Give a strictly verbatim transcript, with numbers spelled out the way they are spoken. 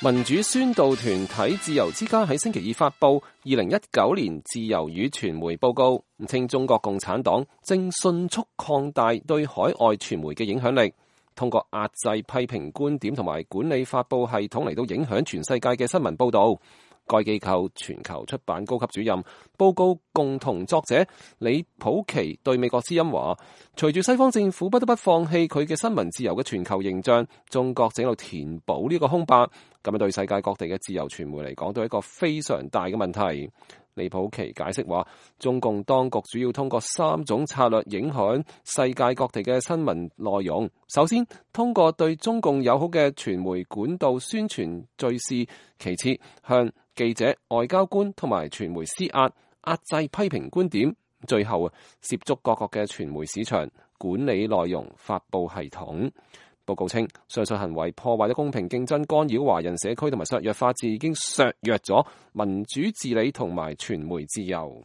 民主宣導團體自由之家喺星期二發布二零一九年自由與傳媒報告，稱中國共產黨正迅速擴大對海外傳媒嘅影響力，通過壓制批評觀點同埋管理發佈系統嚟到影響全世界嘅新聞報導。該機構全球出版高級主任、報告共同作者李普奇對美國之音話，隨住西方政府不得不放棄佢嘅新聞自由嘅全球形象，中國正喺度填補呢個空白，咁樣對世界各地嘅自由傳媒嚟講都係一個非常大嘅問題。李普奇解釋話，中共當局主要通過三種策略影響世界各地嘅新聞內容。首先，通過對中共友好嘅傳媒管道宣傳敘事；其次，向記者、外交官同埋傳媒施壓，壓制批評觀點；最後啊，涉足各國嘅傳媒市場，管理內容發佈系統。報告稱，上述行為破壞咗公平競爭，干擾華人社區同埋削弱法治，已經削弱咗民主治理同埋傳媒自由。